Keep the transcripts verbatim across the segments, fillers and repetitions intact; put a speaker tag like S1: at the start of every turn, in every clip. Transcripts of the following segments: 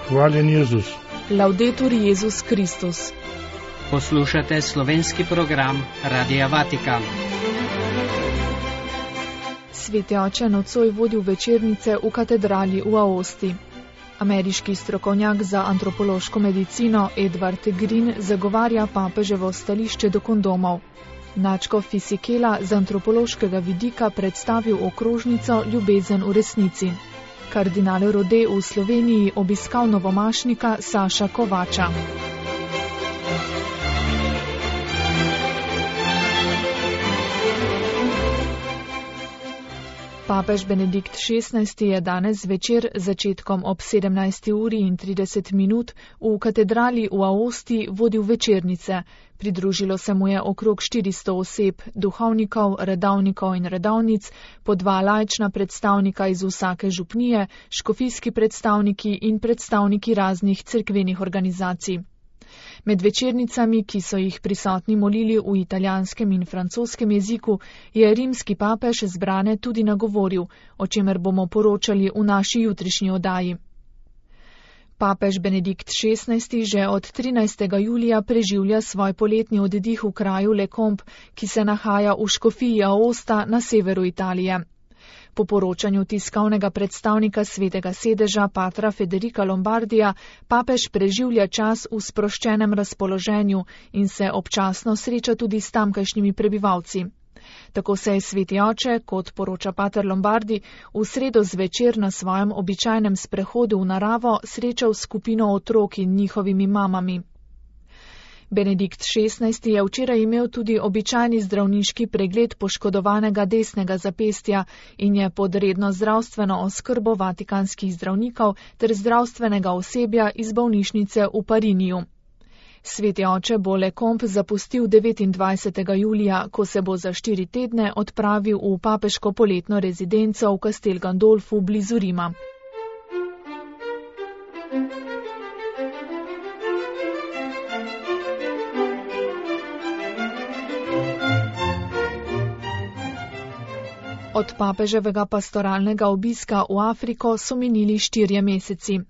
S1: Hvaljen Jezus.
S2: Laudetur Jezus Kristus.
S3: Poslušate slovenski program Radia Vatikan.
S2: Sveti oče nocoj vodil večernice v katedrali v Aosti. Ameriški strokovnjak za antropološko medicino Edward Green zagovarja papeževo stališče do kondomov. Nadškof Fisichella z antropološkega vidika predstavil okrožnico Ljubezen v resnici. Kardinal Rode v Sloveniji obiskal novomašnika Saša Kovača. Papež Benedikt šestnajsti je danes zvečer začetkom ob sedemnajsti uri in trideset minut v katedrali v Aosti vodil večernice. Pridružilo se mu je okrog štiristo oseb, duhovnikov, redavnikov in redavnic, po dva laična predstavnika iz vsake župnije, škofijski predstavniki in predstavniki raznih cerkvenih organizacij. Med večernicami, ki so jih prisotni molili v italijanskem in francoskem jeziku, je rimski papež zbrane tudi nagovoril, o čemer bomo poročali v naši jutrišnji oddaji. Papež Benedikt šestnajsti že od trinajstega julija preživlja svoj poletni oddih v kraju Le Combe, ki se nahaja v škofiji Aosta na severu Italije. Po poročanju tiskovnega predstavnika Svetega sedeža patra Federica Lombardija, papež preživlja čas v sproščenem razpoloženju in se občasno sreča tudi s tamkajšnjimi prebivalci. Tako se je sveti oče, kot poroča pater Lombardi, v sredo zvečer na svojem običajnem sprehodu v naravo srečal skupino otrok in njihovimi mamami. Benedikt šestnajsti je včeraj imel tudi običajni zdravniški pregled poškodovanega desnega zapestja in je pod redno zdravstveno oskrbo vatikanskih zdravnikov ter zdravstvenega osebja iz bolnišnice v Pariniju. Sveti oče bo Le Combe zapustil devetindvajsetega julija, ko se bo za štiri tedne odpravil v papeško poletno rezidenco v Castel Gandolfu blizu Rima. Od papeževega pastoralnega obiska v Afriko so minili štirje meseci.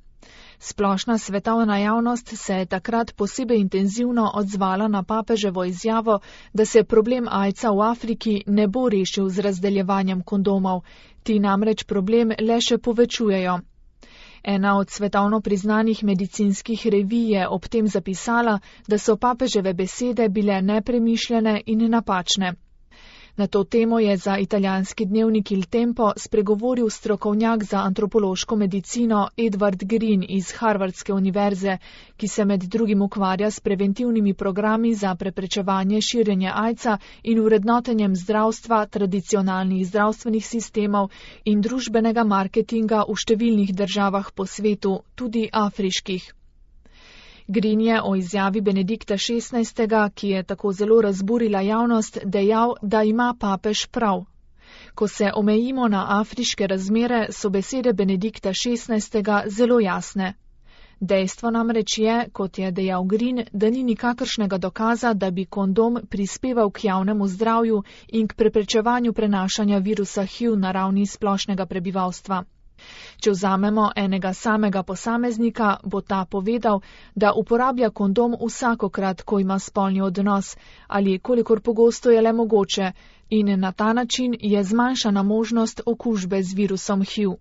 S2: Splošna svetovna javnost se je takrat posebej intenzivno odzvala na papeževo izjavo, da se problem aidsa v Afriki ne bo rešil z razdeljevanjem kondomov, ti namreč problem le še povečujejo. Ena od svetovno priznanih medicinskih revij je ob tem zapisala, da so papeževe besede bile nepremišljene in napačne. Na to temo je za italijanski dnevnik Il Tempo spregovoril strokovnjak za antropološko medicino Edward Green iz Harvardske univerze, ki se med drugim ukvarja s preventivnimi programi za preprečevanje širjenja aidsa in vrednotenjem zdravstva, tradicionalnih zdravstvenih sistemov in družbenega marketinga v številnih državah po svetu, tudi afriških. Green je o izjavi Benedikta šestnajstega, ki je tako zelo razburila javnost, dejal, da ima papež prav. Ko se omejimo na afriške razmere, so besede Benedikta šestnajstega zelo jasne. Dejstvo namreč je, kot je dejal Green, da ni nikakršnega dokaza, da bi kondom prispeval k javnemu zdravju in k preprečevanju prenašanja virusa H I V na ravni splošnega prebivalstva. Če vzamemo enega samega posameznika, bo ta povedal, da uporablja kondom vsakokrat, ko ima spolni odnos, ali kolikor pogosto je le mogoče, in na ta način je zmanjšana možnost okužbe z virusom H I V.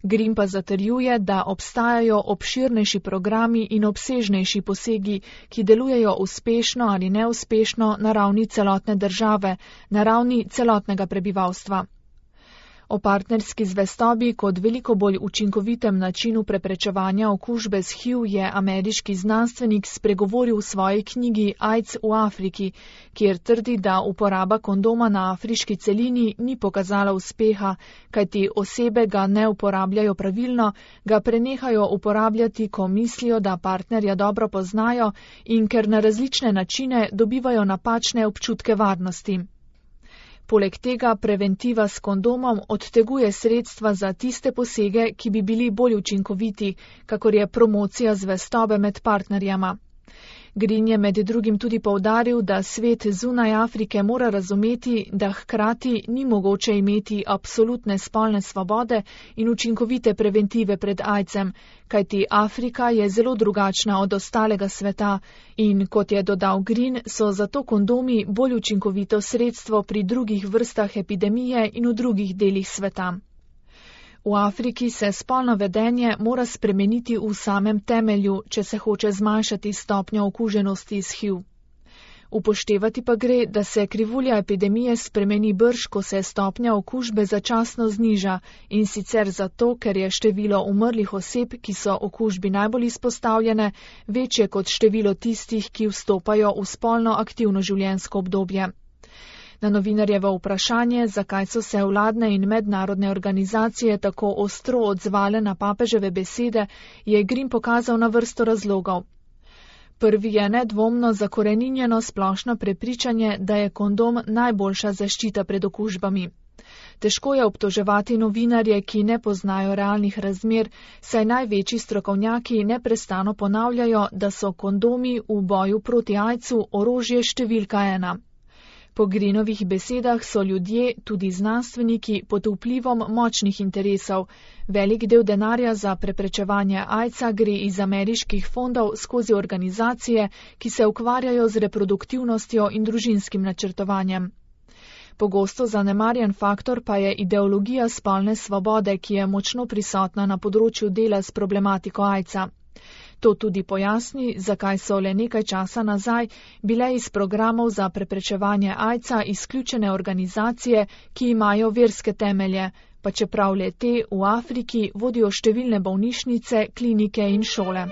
S2: Green pa zatrjuje, da obstajajo obširnejši programi in obsežnejši posegi, ki delujejo uspešno ali neuspešno na ravni celotne države, na ravni celotnega prebivalstva. O partnerski zvestobi kot veliko bolj učinkovitem načinu preprečevanja okužbe s H I V je ameriški znanstvenik spregovoril v svoji knjigi Aids v Afriki, kjer trdi, da uporaba kondoma na afriški celini ni pokazala uspeha, kajti osebe ga ne uporabljajo pravilno, ga prenehajo uporabljati, ko mislijo, da partnerja dobro poznajo in ker na različne načine dobivajo napačne občutke varnosti. Poleg tega preventiva s kondomom odteguje sredstva za tiste posege, ki bi bili bolj učinkoviti, kakor je promocija zvestobe med partnerjama. Green je med drugim tudi poudaril, da svet zunaj Afrike mora razumeti, da hkrati ni mogoče imeti absolutne spolne svobode in učinkovite preventive pred aidsom, kajti Afrika je zelo drugačna od ostalega sveta in, kot je dodal Green, so zato kondomi bolj učinkovito sredstvo pri drugih vrstah epidemije in v drugih delih sveta. V Afriki se spolno vedenje mora spremeniti v samem temelju, če se hoče zmanjšati stopnjo okuženosti s H I V. Upoštevati pa gre, da se krivulja epidemije spremeni brž, ko se stopnja okužbe začasno zniža, in sicer zato, ker je število umrlih oseb, ki so okužbi najbolj izpostavljene, večje kot število tistih, ki vstopajo v spolno aktivno življenjsko obdobje. Na novinarjevo vprašanje, zakaj so se vladne in mednarodne organizacije tako ostro odzvale na papeževe besede, je Green pokazal na vrsto razlogov. Prvi je nedvomno zakoreninjeno splošno prepričanje, da je kondom najboljša zaščita pred okužbami. Težko je obtoževati novinarje, ki ne poznajo realnih razmer, saj največji strokovnjaki neprestano ponavljajo, da so kondomi v boju proti aidsu orožje številka ena. Po Greenovih besedah so ljudje, tudi znanstveniki, pod vplivom močnih interesov. Velik del denarja za preprečevanje aidsa gre iz ameriških fondov skozi organizacije, ki se ukvarjajo z reproduktivnostjo in družinskim načrtovanjem. Pogosto zanemarjen faktor pa je ideologija spolne svobode, ki je močno prisotna na področju dela s problematiko aidsa. To tudi pojasni, zakaj so le nekaj časa nazaj bile iz programov za preprečevanje aidsa izključene organizacije, ki imajo verske temelje, pa čeprav le te v Afriki vodijo številne bolnišnice, klinike in šole.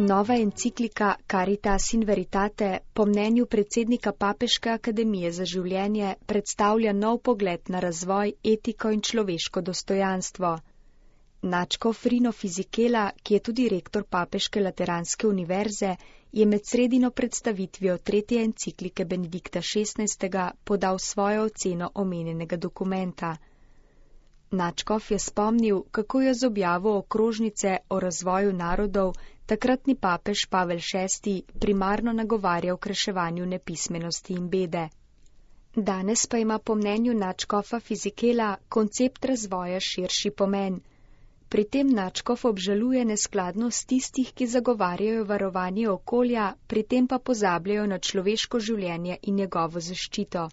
S1: Nova enciklika Caritas in Veritate po mnenju predsednika Papeške akademije za življenje predstavlja nov pogled na razvoj, etiko in človeško dostojanstvo. Nadškof Rino Fisichella, ki je tudi rektor Papeške lateranske univerze, je med sredino predstavitvijo tretje enciklike Benedikta šestnajstega podal svojo oceno omenjenega dokumenta. Nadškof je spomnil, kako je z objavo okrožnice o razvoju narodov takratni papež Pavel šesti primarno nagovarjal k reševanju nepismenosti in bede. Danes pa ima po mnenju nadškofa Fisichella koncept razvoja širši pomen. Pri tem nadškof obžaluje neskladnost tistih, ki zagovarjajo varovanje okolja, pri tem pa pozabljajo na človeško življenje in njegovo zaščito.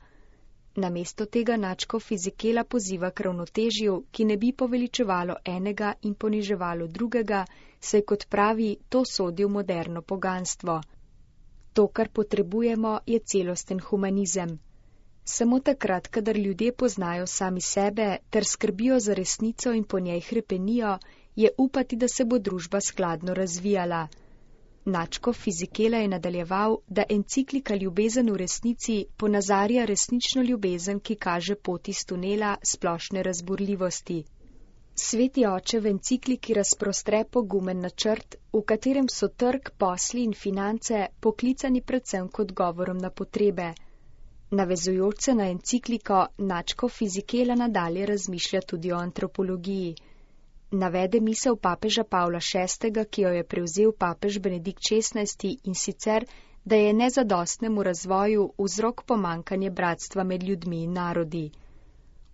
S1: Namesto tega nadškof Fisichella poziva k ravnotežju, ki ne bi poveličevalo enega in poniževalo drugega, saj kot pravi, to sodi v moderno poganstvo. To, kar potrebujemo, je celosten humanizem. Samo takrat, kadar ljudje poznajo sami sebe ter skrbijo za resnico in po njej hrepenijo, je upati, da se bo družba skladno razvijala. Nadškof Fisichella je nadaljeval, da enciklika Ljubezen v resnici ponazarja resnično ljubezen, ki kaže pot iz tunela splošne razburljivosti. Sveti oče v encikliki razprostre pogumen načrt, v katerem so trg, posli in finance poklicani predvsem kot govorom na potrebe. Navezujoč se na encikliko, nadškof Fisichella nadalje razmišlja tudi o antropologiji. Navede misel papeža Pavla šestega, ki jo je prevzel papež Benedikt šestnajsti, in sicer, da je nezadostnemu razvoju vzrok pomankanje bratstva med ljudmi in narodi.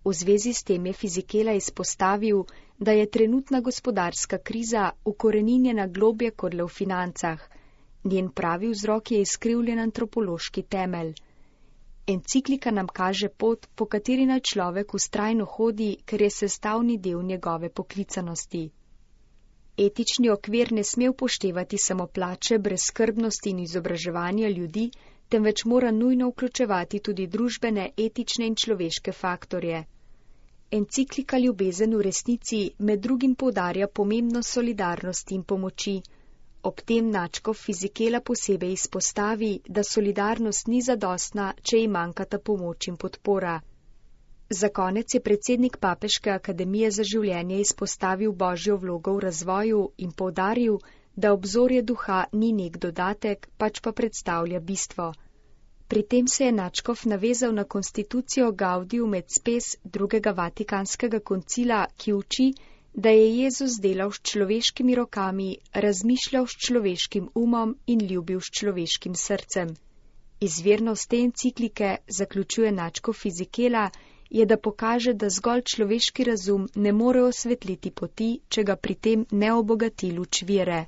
S1: V zvezi s tem je Fisichella izpostavil, da je trenutna gospodarska kriza ukoreninjena globje kot le v financah. Njen pravi vzrok je izkrivljen antropološki temelj. Enciklika nam kaže pot, po kateri naj človek vztrajno hodi, ker je sestavni del njegove poklicanosti. Etični okvir ne sme upoštevati samo plače, brezskrbnosti in izobraževanja ljudi, temveč mora nujno vključevati tudi družbene, etične in človeške faktorje. Enciklika Ljubezen v resnici med drugim poudarja pomembnost solidarnosti in pomoči. Ob tem nadškof Fisichella posebej izpostavi, da solidarnost ni zadostna, če ji manjkata pomoč in podpora. Za konec je predsednik Papeške akademije za življenje izpostavil božjo vlogo v razvoju in poudaril, da obzorje duha ni nek dodatek, pač pa predstavlja bistvo. Pri tem se je nadškof navezal na konstitucijo Gaudium et Spes drugega Vatikanskega koncila, ki uči, da je Jezus delal s človeškimi rokami, razmišljal s človeškim umom in ljubil s človeškim srcem. Izvirnost te enciklike, zaključuje nadškof Fizikela, je, da pokaže, da zgolj človeški razum ne more osvetliti poti, če ga pri tem ne obogati luč vere.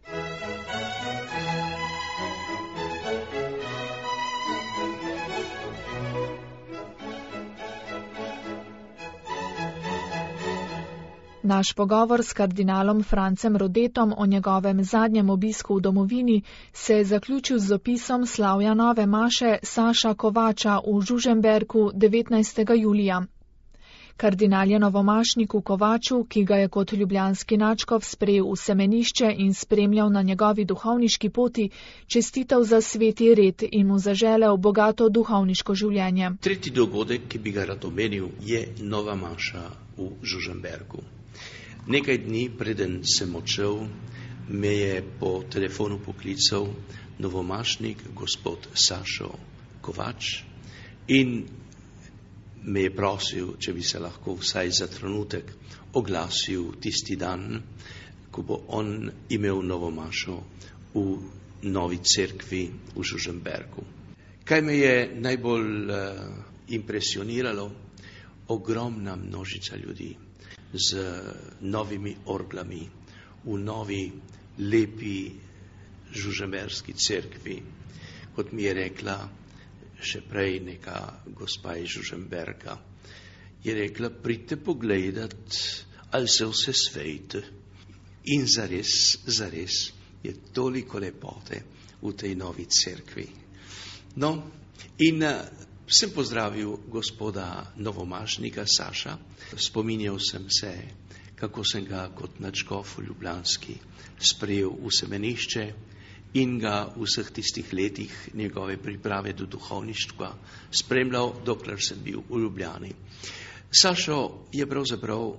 S2: Naš pogovor s kardinalom Francem Rodetom o njegovem zadnjem obisku v domovini se je zaključil z opisom slavja nove maše Saša Kovača v Žužemberku devetnajstega julija. Kardinal je novomašniku Kovaču, ki ga je kot ljubljanski nadškof sprejel v semenišče in spremljal na njegovi duhovniški poti, čestital za sveti red in mu zaželel bogato duhovniško življenje.
S4: Tretji dogodek, ki bi ga rad omenil, je nova maša v Žužemberku. Nekaj dni preden sem odšel, me je po telefonu poklical novomašnik gospod Sašo Kovač in me je prosil, če bi se lahko vsaj za trenutek oglasil tisti dan, ko bo on imel novo mašo v novi cerkvi v Žužemberku. Kaj me je najbolj uh, impresioniralo? Ogromna množica ljudi z novimi orglami v novi, lepi žužemberski cerkvi. Kot mi je rekla še prej neka gospa iz Žužemberka, je rekla, pridite pogledat, ali se vse svejte. In zares, zares je toliko lepote v tej novi cerkvi. No, in sem pozdravil gospoda novomašnika Saša, spominjal sem se, kako sem ga kot nadškof ljubljanski sprejel v semenišče in ga v vseh tistih letih njegove priprave do duhovništva spremljal, dokler sem bil v Ljubljani. Sašo je pravzaprav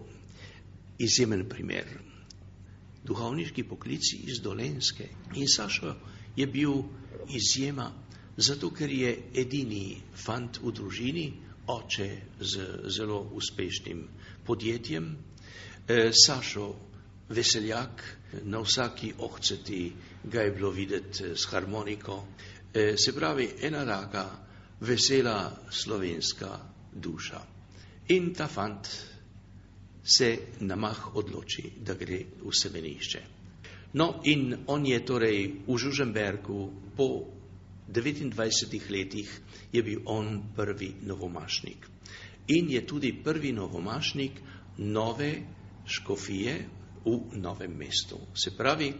S4: izjemen primer. Duhovniški poklici iz Dolenjske in Sašo je bil izjema, zato ker je edini fant v družini, oče z zelo uspešnim podjetjem, e, Sašo veseljak, na vsaki ohceti ga je bilo videti s harmoniko, e, se pravi ena taka vesela slovenska duša. In ta fant se na mah odloči, da gre v semenišče. No, in on je torej v Žužemberku po devetindvajsetih letih je bil on prvi novomašnik. In je tudi prvi novomašnik nove škofije v Novem mestu. Se pravi,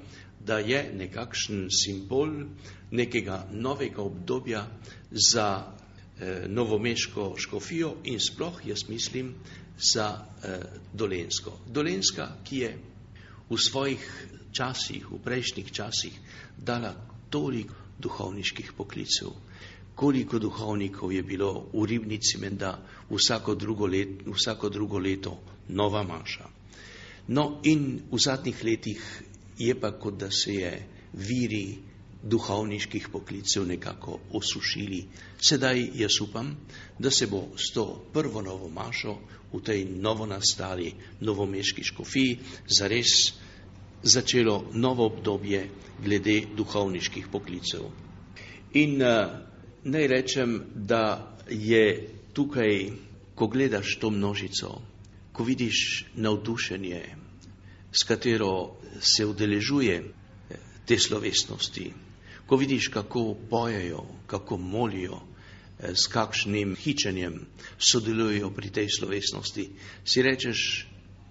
S4: da je nekakšen simbol nekega novega obdobja za eh, novomeško škofijo in sploh, jaz mislim, za eh, Dolenjsko. Dolenjska, ki je v svojih časih, v prejšnjih časih dala toliko duhovniških poklicev. Koliko duhovnikov je bilo v Ribnici menda vsako drugo, let, vsako drugo leto nova maša. No in v zadnjih letih je pa kot da se je viri duhovniških poklicev nekako osušili. Sedaj jaz upam, da se bo s to prvo novo mašo v tej novonastali novomeški škofiji zares začelo novo obdobje glede duhovniških poklicev. In uh, naj rečem, da je tukaj, ko gledaš to množico, ko vidiš navdušenje, s katero se udeležuje te slovesnosti, ko vidiš, kako pojejo, kako molijo, s kakšnim hičenjem sodelujejo pri tej slovesnosti, si rečeš,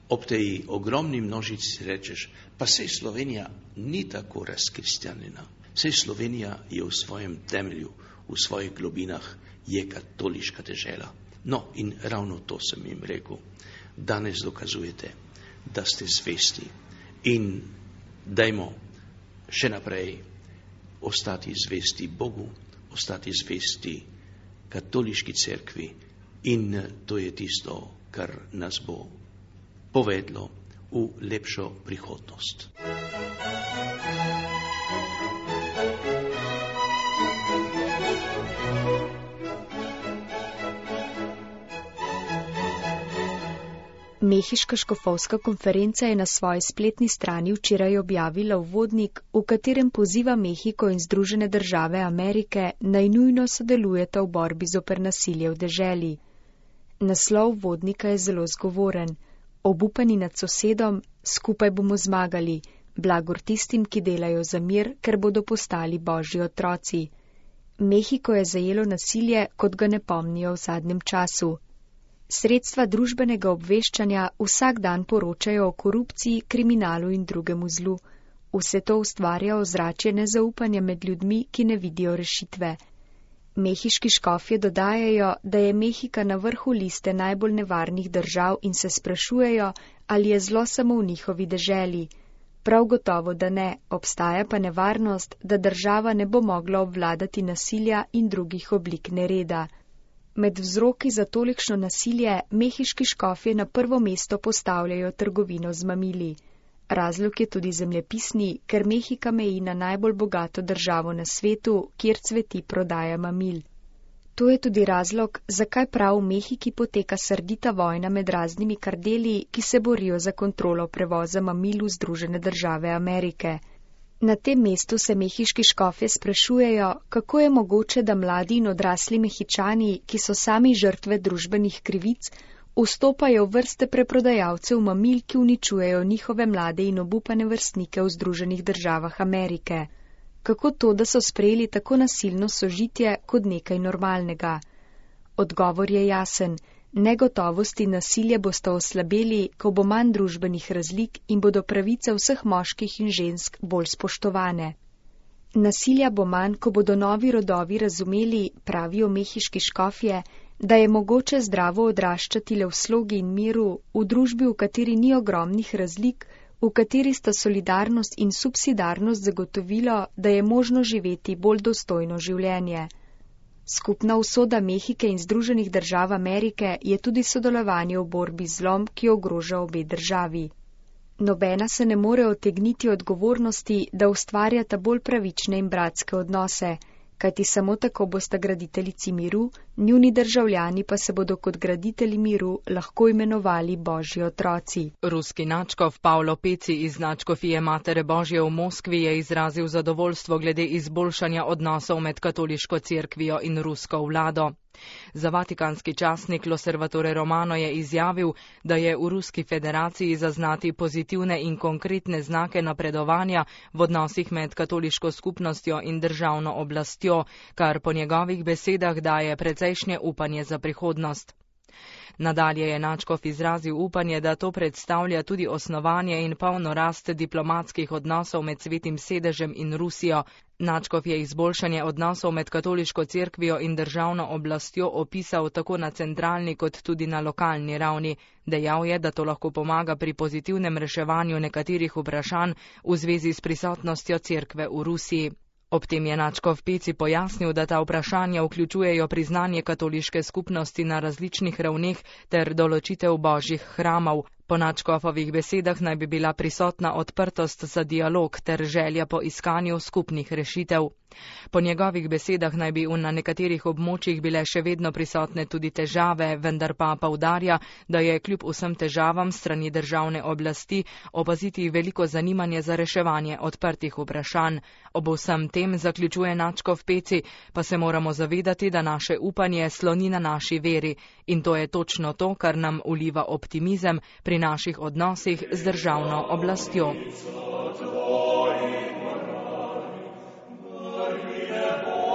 S4: ob tej ogromni množici si rečeš, pa sej Slovenija ni tako razkristjanjena. Sej Slovenija je v svojem temelju, v svojih globinah je katoliška dežela. No in ravno to sem jim rekel. Danes dokazujete, da ste zvesti in dajmo še naprej ostati zvesti Bogu, ostati zvesti katoliški cerkvi in to je tisto, kar nas bo povedlo v lepšo prihodnost.
S1: Mehiška škofovska konferenca je na svoji spletni strani včeraj objavila uvodnik, v katerem poziva Mehiko in Združene države Amerike naj nujno sodelujeta v borbi zoper nasilje v deželi. Naslov uvodnika je zelo zgovoren. Obupani nad sosedom, skupaj bomo zmagali, blagor tistim, ki delajo za mir, ker bodo postali božji otroci. Mehiko je zajelo nasilje, kot ga ne pomnijo v zadnjem času. Sredstva družbenega obveščanja vsak dan poročajo o korupciji, kriminalu in drugemu zlu. Vse to ustvarja ozračje nezaupanja med ljudmi, ki ne vidijo rešitve. Mehiški škofje dodajajo, da je Mehika na vrhu liste najbolj nevarnih držav in se sprašujejo, ali je zlo samo v njihovi deželi. Prav gotovo, da ne, obstaja pa nevarnost, da država ne bo mogla obvladati nasilja in drugih oblik nereda. Med vzroki za tolikšno nasilje mehiški škofje na prvo mesto postavljajo trgovino z mamili. Razlog je tudi zemljepisni, ker Mehika meji na najbolj bogato državo na svetu, kjer cveti prodaja mamil. To je tudi razlog, zakaj prav v Mehiki poteka srdita vojna med raznimi kardeli, ki se borijo za kontrolo prevoza mamil v Združene države Amerike. Na tem mestu se mehiški škofje sprašujejo, kako je mogoče, da mladi in odrasli Mehičani, ki so sami žrtve družbenih krivic, vstopajo v vrste preprodajalcev mamil, ki uničujejo njihove mlade in obupane vrstnike v Združenih državah Amerike. Kako to, da so sprejeli tako nasilno sožitje kot nekaj normalnega? Odgovor je jasen. Negotovost in nasilje bosta oslabeli, ko bo manj družbenih razlik in bodo pravice vseh moških in žensk bolj spoštovane. Nasilja bo manj, ko bodo novi rodovi razumeli, pravijo mehiški škofje, da je mogoče zdravo odraščati le v slogi in miru, v družbi, v kateri ni ogromnih razlik, v kateri sta solidarnost in subsidarnost zagotovilo, da je možno živeti bolj dostojno življenje. Skupna usoda Mehike in Združenih držav Amerike je tudi sodelovanje v borbi z zlom, ki ogroža obe državi. Nobena se ne more otegniti odgovornosti, da ustvarjata bolj pravične in bratske odnose, kajti samo tako bosta graditeljici miru, njuni državljani pa se bodo kot graditelji miru lahko imenovali božji otroci.
S5: Ruski nadškof Pavlo Peci iz nadškofije Matere Božje v Moskvi je izrazil zadovoljstvo glede izboljšanja odnosov med katoliško cerkvijo in rusko vlado. Za vatikanski časnik L'Osservatore Romano je izjavil, da je v Ruski federaciji zaznati pozitivne in konkretne znake napredovanja v odnosih med katoliško skupnostjo in državno oblastjo, kar po njegovih besedah daje precejšnje upanje za prihodnost. Nadalje je nadškof izrazil upanje, da to predstavlja tudi osnovanje in polno rast diplomatskih odnosov med Svetim sedežem in Rusijo. Nadškof je izboljšanje odnosov med katoliško cerkvijo in državno oblastjo opisal tako na centralni kot tudi na lokalni ravni. Dejal je, da to lahko pomaga pri pozitivnem reševanju nekaterih vprašanj v zvezi s prisotnostjo cerkve v Rusiji. Ob tem je nadškof Peci pojasnil, da ta vprašanja vključujejo priznanje katoliške skupnosti na različnih ravneh ter določitev božjih hramov. Po nadškofovih besedah naj bi bila prisotna odprtost za dialog ter želja po iskanju skupnih rešitev. Po njegovih besedah naj bi na nekaterih območjih bile še vedno prisotne tudi težave, vendar pa poudarja, da je kljub vsem težavam strani državne oblasti opaziti veliko zanimanje za reševanje odprtih vprašanj. Ob vsem tem, zaključuje nadškof Peci, pa se moramo zavedati, da naše upanje sloni na naši veri in to je točno to, kar nam vliva optimizem pri naših odnosih z državno oblastjo.
S6: Glory,